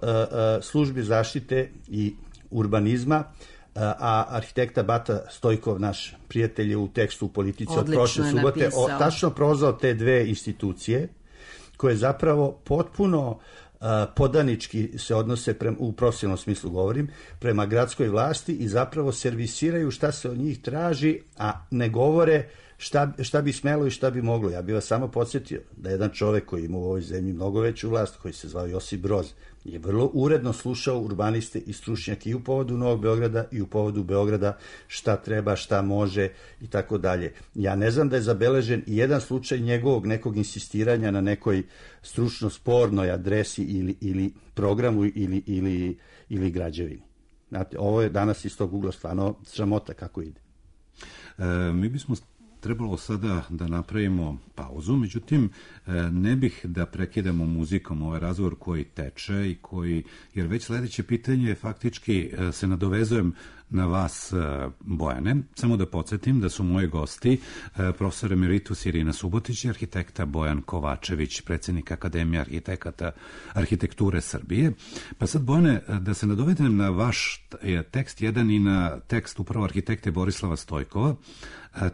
službi zaštite i urbanizma, uh, a arhitekta Bata Stojkov, naš prijatelj, je u tekstu u Politici od prošle subote o, tačno prozvao te dve institucije koje zapravo potpuno uh, podanički se odnose, prema, u profesionalnom smislu govorim, prema gradskoj vlasti i zapravo servisiraju šta se od njih traži, a ne govore Šta, šta bi smelo i šta bi moglo. Ja bih vas samo podsjetio da jedan čovek koji ima u ovoj zemlji mnogo veću vlast, koji se zvao Josip Broz, je vrlo uredno slušao urbaniste i stručnjake i u povodu Novog Beograda i u povodu Beograda, šta treba, šta može i tako dalje. Ja ne znam da je zabeležen i jedan slučaj njegovog nekog insistiranja na nekoj stručno spornoj adresi ili, ili programu ili, ili, ili građevini. Znate, ovo je danas iz tog ugla stvarno sramota kako ide. mi bismo trebalo sada da napravimo pauzu, međutim, ne bih da prekidamo muzikom ovaj razgovor koji teče i koji, jer već sledeće pitanje faktički se nadovezujem na vas, Bojane. Samo da podsjetim da su moji gosti profesor emeritus Irina Subotić i arhitekta Bojan Kovačević, predsjednik Akademije arhitekata arhitekture Srbije. Pa sad, Bojane, da se nadovedem na vaš tekst jedan i na tekst upravo arhitekte Borislava Stojkova,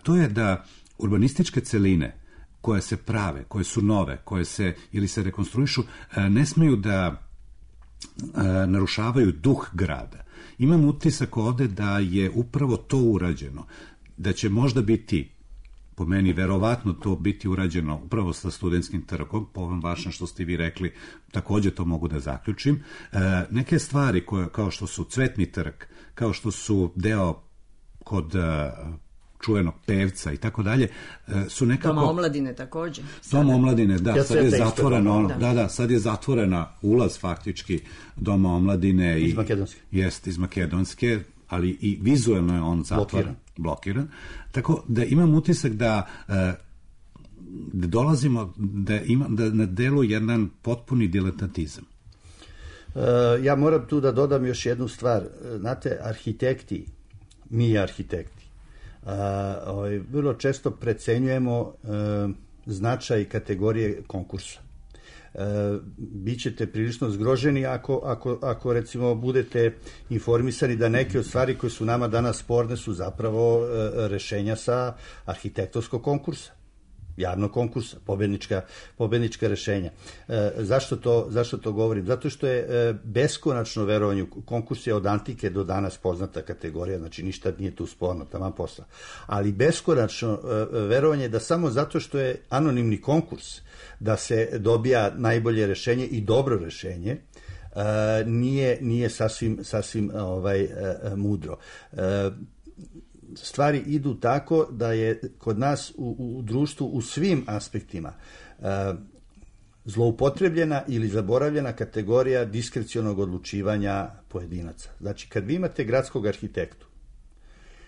to je da urbanističke celine koje se prave, koje su nove, koje se ili se rekonstruišu, ne smeju da narušavaju duh grada. Imam utisak ovde da je upravo to urađeno, da će možda biti, po meni verovatno to biti urađeno upravo sa Studentskim trgom, po ovom vašem što ste vi rekli, takođe to mogu da zaključim. E, neke stvari koje, kao što su Cvetni trg, kao što su deo kod uh, čuvenog pevca i tako dalje, su nekako... Doma omladine takođe. Doma omladine, da, ja sad je zatvoreno, da. da, da, sad je zatvorena ulaz faktički Doma omladine. Iz i, Makedonske. Jest, iz Makedonske, ali i vizuelno je on zatvoren, blokiran. blokiran. Tako da imam utisak da, da dolazimo, da, ima, da na delu jedan potpuni diletantizam. Uh, ja moram tu da dodam još jednu stvar. Znate, arhitekti, mi arhitekti, uh, ovaj, vrlo često precenjujemo uh, značaj kategorije konkursa. Uh, bićete prilično zgroženi ako, ako, ako recimo budete informisani da neke od stvari koje su nama danas sporne su zapravo uh, rešenja sa arhitektonskog konkursa, javnog konkursa, pobednička, pobednička rešenja. E, zašto, to, zašto to govorim? Zato što je e, beskonačno verovanje, konkurs je od antike do danas poznata kategorija, znači ništa nije tu sporno, taman posla. Ali beskonačno e, verovanje da samo zato što je anonimni konkurs, da se dobija najbolje rešenje i dobro rešenje, e, nije, nije sasvim, sasvim ovaj, e, mudro. E, stvari idu tako da je kod nas u, u društvu u svim aspektima e, zloupotrebljena ili zaboravljena kategorija diskrecionog odlučivanja pojedinaca. Znači, kad vi imate gradskog arhitektu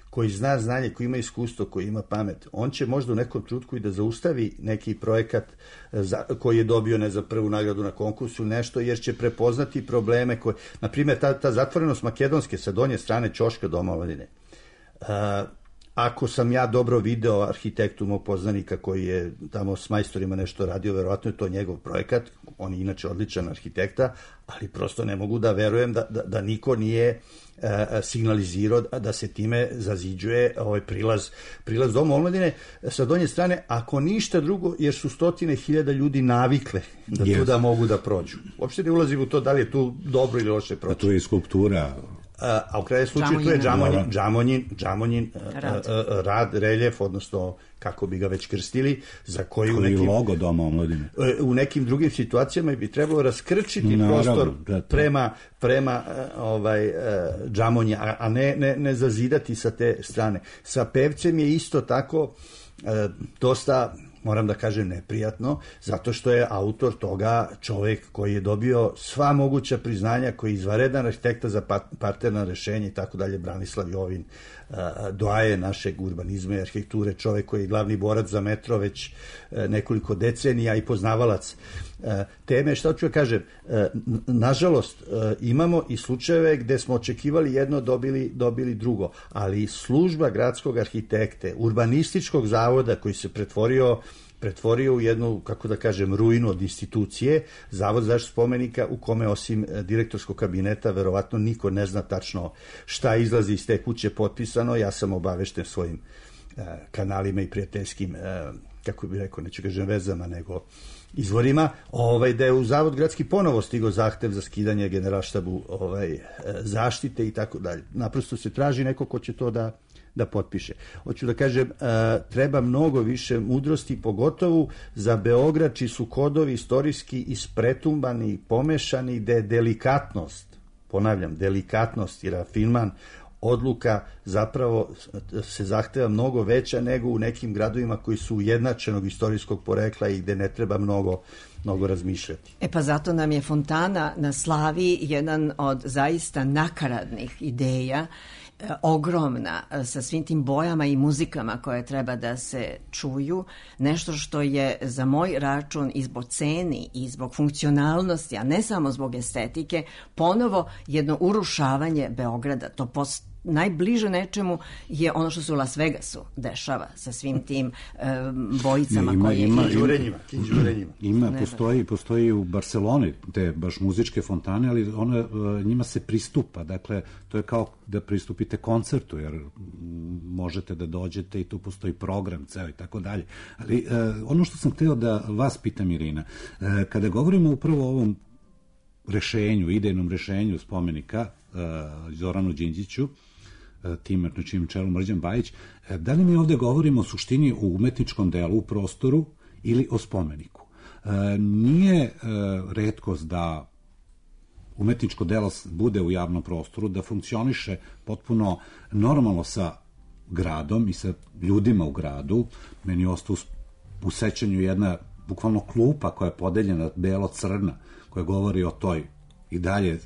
koji zna znanje, koji ima iskustvo, koji ima pamet, on će možda u nekom trenutku i da zaustavi neki projekat za, koji je dobio ne za prvu nagradu na konkursu nešto, jer će prepoznati probleme koje, na primjer, ta, ta zatvorenost Makedonske sa donje strane ćoška Doma omladine. Uh, ako sam ja dobro video arhitektu mog poznanika koji je tamo s majstorima nešto radio, verovatno je to njegov projekat, on je inače odličan arhitekta, ali prosto ne mogu da verujem da, da, da niko nije uh, signalizirao da se time zaziđuje ovaj prilaz, prilaz Doma omladine sa donje strane, ako ništa drugo, jer su stotine hiljada ljudi navikle da yes. tu da mogu da prođu. Uopšte ne ulazim u to da li je tu dobro ili loše proći. A tu je i skulptura. A u kraju slučaju tu je džamonjin, džamonjin, džamonjin rad. rad, reljef, odnosno kako bi ga već krstili, za koji, koji u nekim, logo Doma omladine. U nekim drugim situacijama bi trebalo raskrčiti no, prostor da, prema, prema ovaj, džamonja, a ne, ne, ne zazidati sa te strane. Sa pevcem je isto tako dosta, moram da kažem, neprijatno, zato što je autor toga čovjek koji je dobio sva moguća priznanja, koji je izvaredan arhitekta za parterna rešenja i tako dalje, Branislav Jovin, doaje našeg urbanizma i arhitekture, čovjek koji je glavni borac za metro već nekoliko decenija i poznavalac teme. Šta ću kažem, nažalost imamo i slučajeve gde smo očekivali jedno, dobili, dobili drugo, ali služba gradskog arhitekte, urbanističkog zavoda koji se pretvorio pretvorio u jednu, kako da kažem, ruinu od institucije, Zavod za zaštitu spomenika u kome osim direktorskog kabineta verovatno niko ne zna tačno šta izlazi iz te kuće potpisano. Ja sam obavešten svojim uh, kanalima i prijateljskim, uh, kako bih rekao, neću kažem vezama, nego izvorima, ovaj, da je u Zavod gradski ponovo stigao zahtev za skidanje generalštabu ovaj, zaštite i tako dalje. Naprosto se traži neko ko će to da da potpiše. Hoću da kažem, treba mnogo više mudrosti, pogotovo za Beograd, čiji su kodovi istorijski ispretumbani, pomešani, gde je delikatnost, ponavljam, delikatnost i rafinman odluka zapravo se zahteva mnogo veća nego u nekim gradovima koji su ujednačenog istorijskog porekla i gde ne treba mnogo, mnogo razmišljati. E pa zato nam je fontana na Slaviji jedan od zaista nakaradnih ideja, ogromna, sa svim tim bojama i muzikama koje treba da se čuju, nešto što je za moj račun i zbog ceni i zbog funkcionalnosti, a ne samo zbog estetike, ponovo jedno urušavanje Beograda. To post najbliže nečemu je ono što se u Las Vegasu dešava sa svim tim um, bojicama. Ima, koje... ima, Kinđurenjima, kinđurenjima. Ima, postoji, postoji u Barceloni te baš muzičke fontane, ali one, njima se pristupa, dakle, to je kao da pristupite koncertu, jer možete da dođete i tu postoji program ceo i tako dalje. Ali ono što sam hteo da vas pitam, Irina, kada govorimo upravo o ovom rešenju, idejnom rešenju spomenika Zoranu Đinđiću, tim na čijem čelu Mrđan Bajić, da li mi ovde govorimo o suštini u umetničkom delu, u prostoru ili o spomeniku? Nije retkost da umetničko delo bude u javnom prostoru, da funkcioniše potpuno normalno sa gradom i sa ljudima u gradu. Meni je ostao u sećanju jedna bukvalno klupa koja je podeljena belo-crna, koja govori o toj i dalje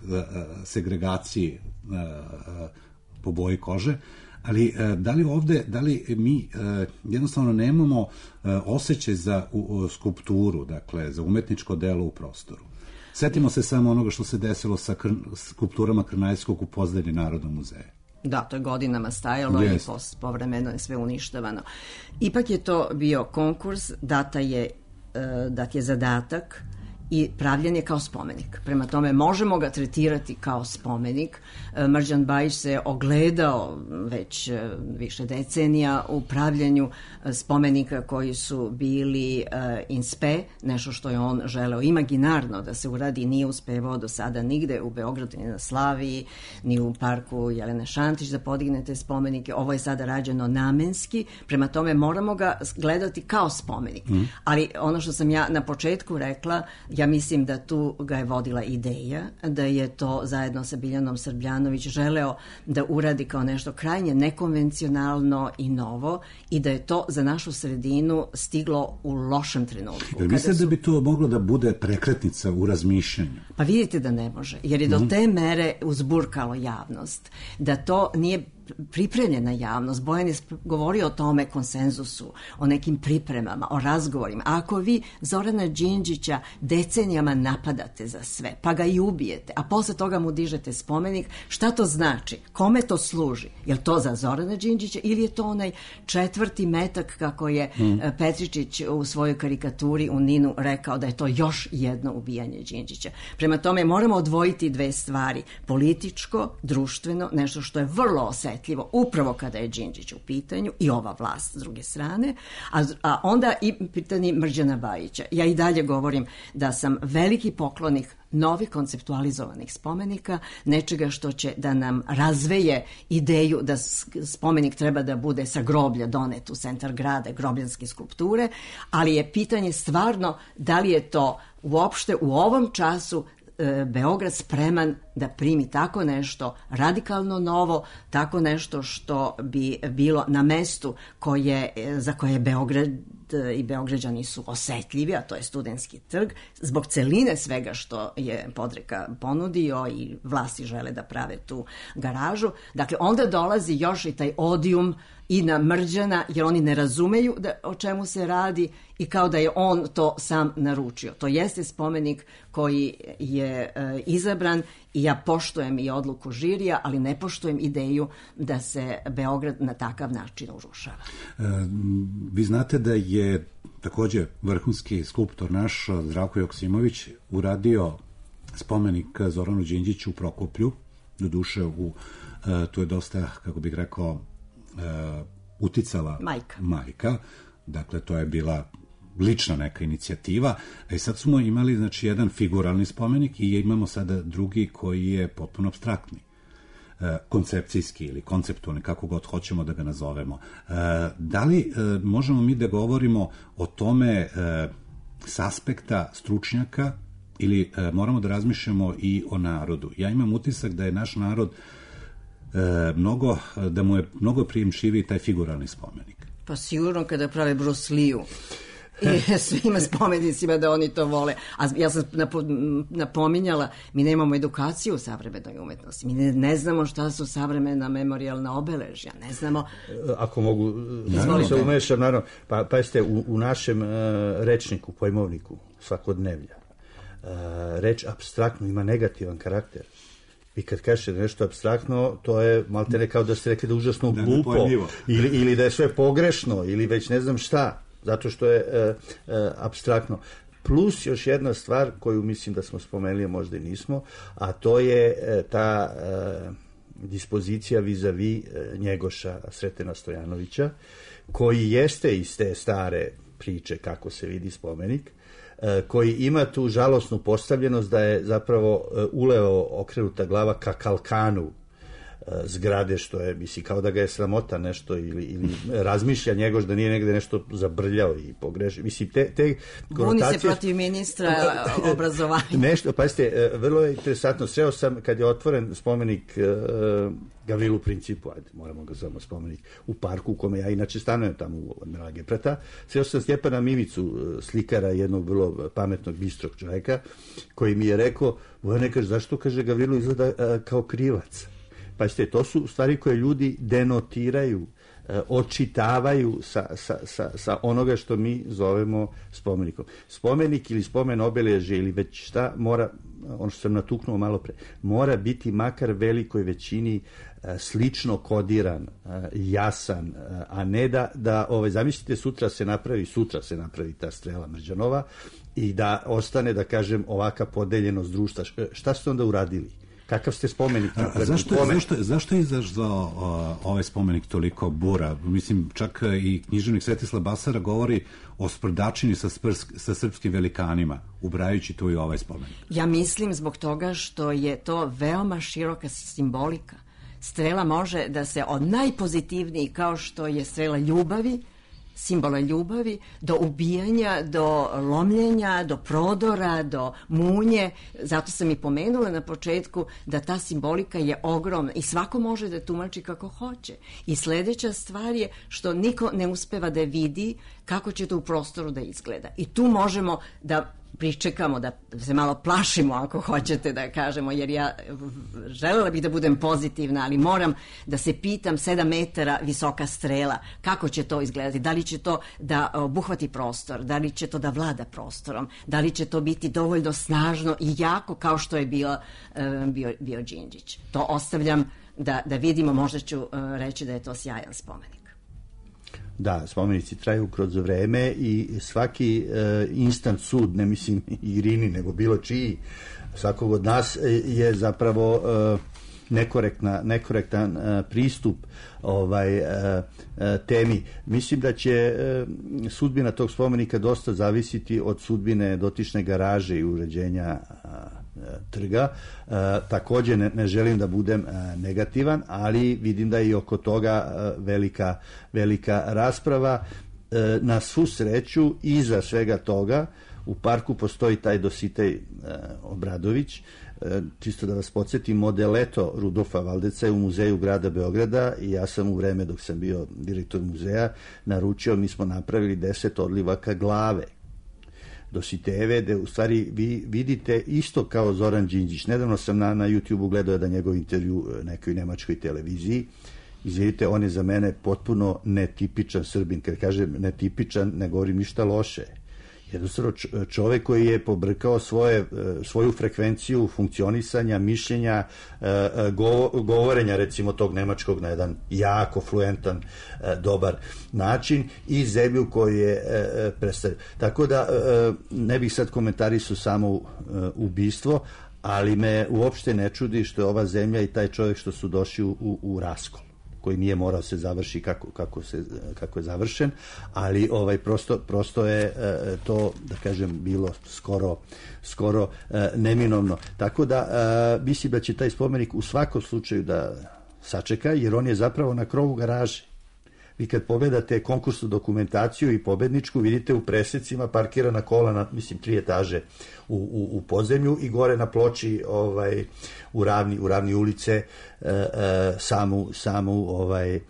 segregaciji po boji kože, ali da li ovde, da li mi jednostavno nemamo osjećaj za skulpturu, dakle, za umetničko delo u prostoru? Setimo se samo onoga što se desilo sa skulpturama Krnajskog u pozdelji Narodnog muzeja. Da, to je godinama stajalo yes. i povremeno je sve uništavano. Ipak je to bio konkurs, data je, dat je zadatak i pravljen je kao spomenik. Prema tome, možemo ga tretirati kao spomenik. Mrđan Bajić se ogledao već više decenija u pravljenju spomenika koji su bili in spe, nešto što je on želeo imaginarno da se uradi, nije uspevao do sada nigde u Beogradu, ni na Slaviji, ni u parku Jelene Šantić da podignete spomenike. Ovo je sada rađeno namenski, prema tome moramo ga gledati kao spomenik. Mm. Ali ono što sam ja na početku rekla, ja mislim da tu ga je vodila ideja, da je to zajedno sa Biljanom Srbljanović želeo da uradi kao nešto krajnje nekonvencionalno i novo i da je to za našu sredinu stiglo u lošem trenutku. Jer mislite su... da bi to moglo da bude prekretnica u razmišljanju? Pa vidite da ne može, jer je do te mere uzburkalo javnost, da to nije pripremljena javnost. Bojan je govorio o tome konsenzusu, o nekim pripremama, o razgovorima. A ako vi Zorana Đinđića decenijama napadate za sve, pa ga i ubijete, a posle toga mu dižete spomenik, šta to znači? Kome to služi? Je li to za Zorana Đinđića ili je to onaj četvrti metak, kako je mm. Petričić u svojoj karikaturi u Ninu rekao da je to još jedno ubijanje Đinđića? Prema tome moramo odvojiti dve stvari. Političko, društveno, nešto što je vrlo osetljivo upravo kada je Đinđić u pitanju i ova vlast s druge strane, a, a onda i pitanje Mrđana Bajića. Ja i dalje govorim da sam veliki poklonik novih konceptualizovanih spomenika, nečega što će da nam razveje ideju da spomenik treba da bude sa groblja donet u centar grada, grobljanske skulpture, ali je pitanje stvarno da li je to uopšte u ovom času Beograd spreman da primi tako nešto radikalno novo, tako nešto što bi bilo na mestu koje, za koje je Beograd i Beograđani su osetljivi, a to je Studentski trg, zbog celine svega što je Podreka ponudio i vlasti žele da prave tu garažu. Dakle, onda dolazi još i taj odijum i na Mrđana, jer oni ne razumeju da, o čemu se radi i kao da je on to sam naručio. To jeste spomenik koji je e, izabran i ja poštujem i odluku žirija, ali ne poštujem ideju da se Beograd na takav način urušava. E, vi znate da je takođe vrhunski skulptor naš Zdravko Joksimović uradio spomenik Zoranu Đinđiću u Prokoplju, do duše u, e, tu je dosta, kako bih rekao, Uh, uticala majka. majka, dakle to je bila lična neka inicijativa, a i sad smo imali znači jedan figuralni spomenik i imamo sada drugi koji je potpuno apstraktni, uh, koncepcijski ili konceptualni, kako god hoćemo da ga nazovemo. Uh, da li uh, možemo mi da govorimo o tome uh, s aspekta stručnjaka ili uh, moramo da razmišljamo i o narodu? Ja imam utisak da je naš narod E, mnogo, da mu je mnogo prijemčiviji taj figuralni spomenik. Pa sigurno kada prave Bruce Lee-u. i svima spomenicima da oni to vole. A ja sam napo, napominjala, mi nemamo edukaciju u savremenoj umetnosti. Mi ne, ne znamo šta su savremena memorijalna obeležja. Ne znamo... Ako mogu se umešam, naravno. Pa, pa jeste, u, u našem uh, rečniku, pojmovniku, svakodnevlja, uh, reč apstraktno ima negativan karakter. Vi kad kažete nešto apstraktno, to je maltene kao da ste rekli da je užasno glupo, ili, ili da je sve pogrešno, ili već ne znam šta, zato što je e, e, apstraktno. Plus još jedna stvar koju mislim da smo spomenuli, a možda i nismo, a to je e, ta e, dispozicija vis-a-vis e, Njegoša Sretena Stojanovića, koji jeste iz te stare priče kako se vidi spomenik, koji ima tu žalosnu postavljenost da je zapravo uleo okrenuta glava ka kalkanu zgrade, što je, misli, kao da ga je sramota nešto ili, ili razmišlja Njegoš da nije negde nešto zabrljao i pogrešio. Mislim, te, te Buni se protiv ministra obrazovanja. Nešto, pa jeste, vrlo je interesantno. Sreo sam, kad je otvoren spomenik uh, Gavrilu Principu, ajde, moramo ga zovemo spomenik, u parku u kome ja inače stanujem tamo u Admirala Geprata, sreo sam Stjepana Mimicu, slikara, jednog vrlo pametnog, bistrog čoveka, koji mi je rekao, Vojane, kaže, zašto, kaže, Gavrilu izgleda uh, kao krivac? Pa ste, to su stvari koje ljudi denotiraju, e, očitavaju sa, sa, sa, sa onoga što mi zovemo spomenikom. Spomenik ili spomen obeležje ili već šta mora, ono što sam natuknuo malo pre, mora biti makar velikoj većini e, slično kodiran, e, jasan, e, a ne da, da ovaj, zamislite, sutra se napravi, sutra se napravi ta strela Mrđanova i da ostane, da kažem, ovaka podeljenost društva. Šta ste onda uradili? Kakav ste spomenik? A zašto, zašto, zašto je izazvao uh, ovaj spomenik toliko bura? Mislim, čak i književnik Svetislav Basara govori o sprdačini sa, sprsk, sa srpskim velikanima, ubrajući tu i ovaj spomenik. Ja mislim zbog toga što je to veoma široka simbolika. Strela može da se od najpozitivnijih, kao što je strela ljubavi, simbola ljubavi, do ubijanja, do lomljenja, do prodora, do munje. Zato sam i pomenula na početku da ta simbolika je ogromna i svako može da tumači kako hoće. I sledeća stvar je što niko ne uspeva da vidi kako će to u prostoru da izgleda. I tu možemo da pričekamo, da se malo plašimo, ako hoćete da kažemo, jer ja želela bih da budem pozitivna, ali moram da se pitam, sedam metara visoka strela, kako će to izgledati, da li će to da obuhvati prostor, da li će to da vlada prostorom, da li će to biti dovoljno snažno i jako kao što je bio, bio, bio Đinđić. To ostavljam da, da vidimo, možda ću reći da je to sjajan spomenik. Da, spomenici traju kroz vreme i svaki e, instant sud, ne mislim Irini, nego bilo čiji, svakog od nas je zapravo e, nekorektna, nekorektan e, pristup ovaj e, e, temi. Mislim da će e, sudbina tog spomenika dosta zavisiti od sudbine dotične garaže i uređenja trga. E, takođe ne, ne želim da budem e, negativan, ali vidim da je i oko toga e, velika, velika rasprava. E, na svu sreću, iza svega toga u parku postoji taj Dositej e, Obradović. E, čisto da vas podsjetim, modeleto Rudolfa Valdeca je u muzeju grada Beograda i ja sam u vreme dok sam bio direktor muzeja naručio, mi smo napravili deset odlivaka glave Dositejeve, gde u stvari vi vidite isto kao Zoran Đinđić. Nedavno sam na, na YouTube-u gledao jedan njegov intervju nekoj nemačkoj televiziji. Izvidite, on je za mene potpuno netipičan Srbin. Kad kažem netipičan, ne govorim ništa loše. Jednostavno čovek koji je pobrkao svoje, svoju frekvenciju funkcionisanja, mišljenja, govorenja recimo tog nemačkog na jedan jako fluentan, dobar način i zemlju koju je predstavio. Tako da ne bih sad komentarisao samo ubistvo, ali me uopšte ne čudi što je ova zemlja i taj čovjek što su došli u, u, u raskol, koji nije morao se završi kako, kako, se, kako je završen, ali ovaj prosto, prosto je e, to, da kažem, bilo skoro, skoro e, neminovno. Tako da e, mislim da će taj spomenik u svakom slučaju da sačeka, jer on je zapravo na krovu garaže. Vi kad pogledate konkursnu dokumentaciju i pobedničku, vidite u presecima parkirana kola na, mislim, tri etaže u, u, u podzemlju i gore na ploči ovaj, u, ravni, u ravni ulice e, e, samu, samu ovaj, e,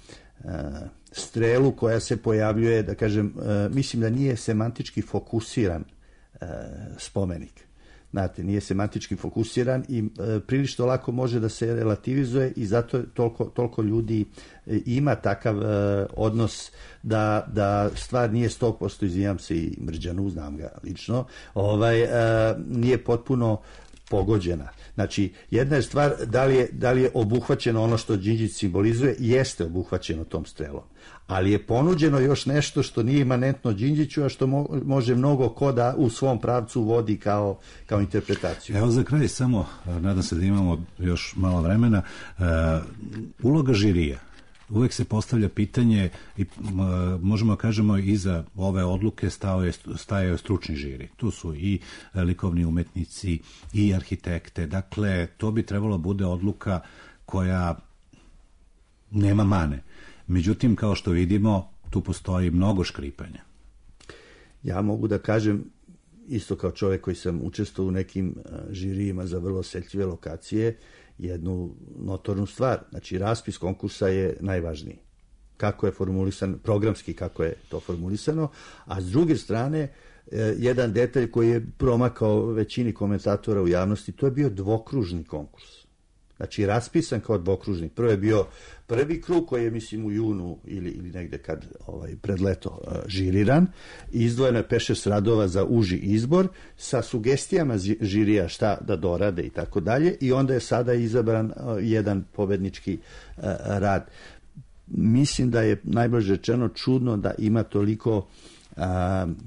strelu koja se pojavljuje, da kažem, e, mislim da nije semantički fokusiran e, spomenik. Znate, nije semantički fokusiran i e, prilično lako može da se relativizuje i zato toliko, toliko ljudi e, ima takav e, odnos da, da stvar nije sto posto, izvinjam se i Mrđanu, znam ga lično, ovaj, e, nije potpuno pogođena. Znači, jedna je stvar da li je, da li je obuhvaćeno ono što Đinđić simbolizuje, jeste obuhvaćeno tom strelom. Ali je ponuđeno još nešto što nije imanentno Đinđiću, a što mo, može mnogo ko da u svom pravcu vodi kao, kao interpretaciju. Evo za kraj samo, nadam se da imamo još malo vremena, uh, uloga žirija. Uvek se postavlja pitanje i uh, možemo da kažemo iza ove odluke stao je, stajao stručni žiri. Tu su i likovni umetnici i arhitekte. Dakle, to bi trebalo bude odluka koja nema mane. Međutim, kao što vidimo, tu postoji mnogo škripanja. Ja mogu da kažem, isto kao čovjek koji sam učestvovao u nekim žirijima za vrlo osjetljive lokacije, jednu notornu stvar. Znači, raspis konkursa je najvažniji. Kako je formulisan, programski kako je to formulisano, a s druge strane, jedan detalj koji je promakao većini komentatora u javnosti, to je bio dvokružni konkurs. Znači, raspisan kao dvokružni. Prvo je bio prvi krug koji je, mislim, u junu ili, ili negde kad ovaj, pred leto uh, žiriran. Izdvojeno je pet šest radova za uži izbor sa sugestijama žirija šta da dorade i tako dalje. I onda je sada izabran uh, jedan pobednički uh, rad. Mislim da je najbolje rečeno čudno da ima toliko, uh,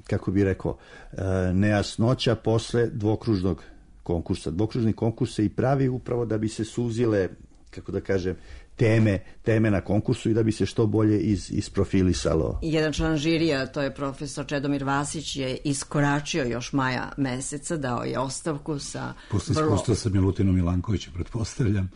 kako bi rekao, uh, nejasnoća posle dvokružnog konkursa. Dvokružni konkurs se i pravi upravo da bi se suzile, kako da kažem, teme, teme na konkursu i da bi se što bolje iz, isprofilisalo. Jedan član žirija, to je profesor Čedomir Vasić, je iskoračio još maja meseca, dao je ostavku sa... Posle vrlo... iskustva sa Milutinom Milankovićem, pretpostavljam,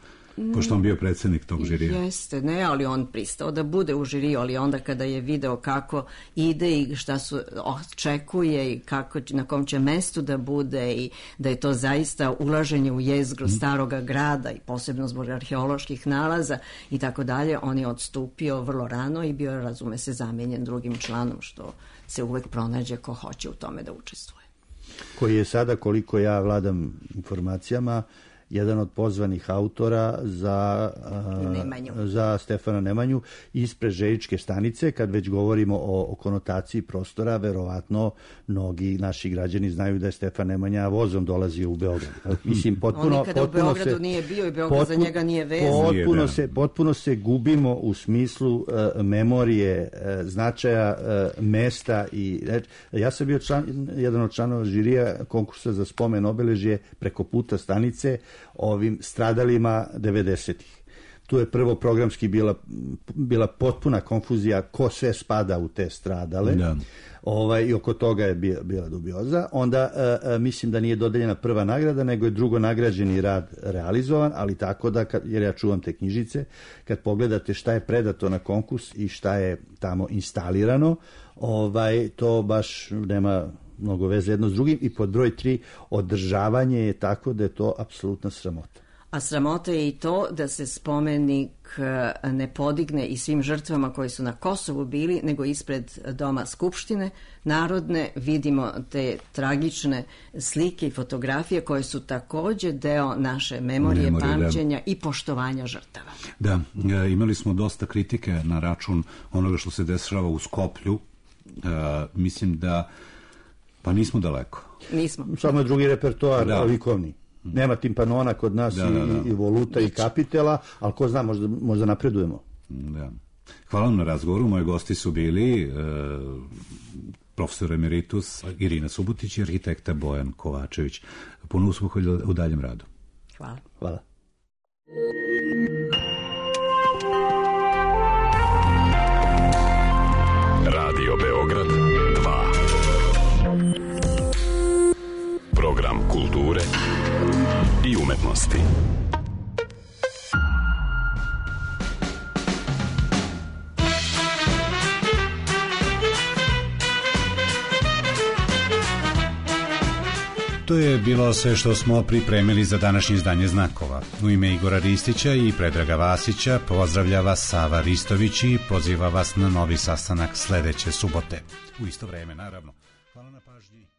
pošto on bio predsjednik tog žirija. Jeste, ne, ali on pristao da bude u žiriju, ali onda kada je video kako ide i šta su očekuje i kako, na kom će mestu da bude i da je to zaista ulaženje u jezgru staroga grada i posebno zbog arheoloških nalaza i tako dalje, on je odstupio vrlo rano i bio, razume se, zamenjen drugim članom, što se uvek pronađe ko hoće u tome da učestvuje. Koji je sada, koliko ja vladam informacijama, jedan od pozvanih autora za, uh, za Stefana Nemanju ispred Žejičke stanice. Kad već govorimo o, o konotaciji prostora, verovatno mnogi naši građani znaju da je Stefan Nemanja vozom dolazio u Beograd. Mislim, potpuno, on nikada potpuno u Beogradu se, nije bio i Beograd potpuno, za njega nije vezan. Potpuno se, potpuno se gubimo u smislu uh, memorije, uh, značaja uh, mesta. I, uh, ja sam bio član, jedan od članova žirija konkursa za spomen obeležje preko puta stanice ovim stradalima devedesetih. Tu je prvo programski bila, bila potpuna konfuzija ko sve spada u te stradale. Da. Ovaj, i oko toga je bila, bila dubioza. Onda a, a, mislim da nije dodeljena prva nagrada, nego je drugo nagrađeni rad realizovan, ali tako da, kad, jer ja čuvam te knjižice, kad pogledate šta je predato na konkurs i šta je tamo instalirano, ovaj, to baš nema mnogo veze jedno s drugim. I pod broj tri, održavanje je tako da je to apsolutna sramota. A sramota je i to da se spomenik ne podigne i svim žrtvama koji su na Kosovu bili, nego ispred Doma Skupštine Narodne. Vidimo te tragične slike i fotografije koje su takođe deo naše memorije, memorije pamćenja da. I poštovanja žrtava. Da, imali smo dosta kritike na račun onoga što se dešava u Skoplju. Uh, mislim da pa nismo daleko. Nismo. Samo je drugi repertoar, da. Likovni. Nema timpanona kod nas da, da, da. I, i voluta i kapitela, ali ko zna, možda, možda napredujemo. Da. Hvala vam na razgovoru. Moji gosti su bili e, profesor emeritus Irina Subotić i arhitekta Bojan Kovačević. Puno uspeha u daljem radu. Hvala. Hvala. Radio Beograd dva. Program kulture i umetnosti. To To je bilo sve što smo pripremili za današnje izdanje Znakova. U ime Igora Ristića i Predraga Vasića pozdravlja vas Sava Ristović i poziva vas na novi sastanak sledeće subote. U isto vreme, naravno. Hvala na pažnji.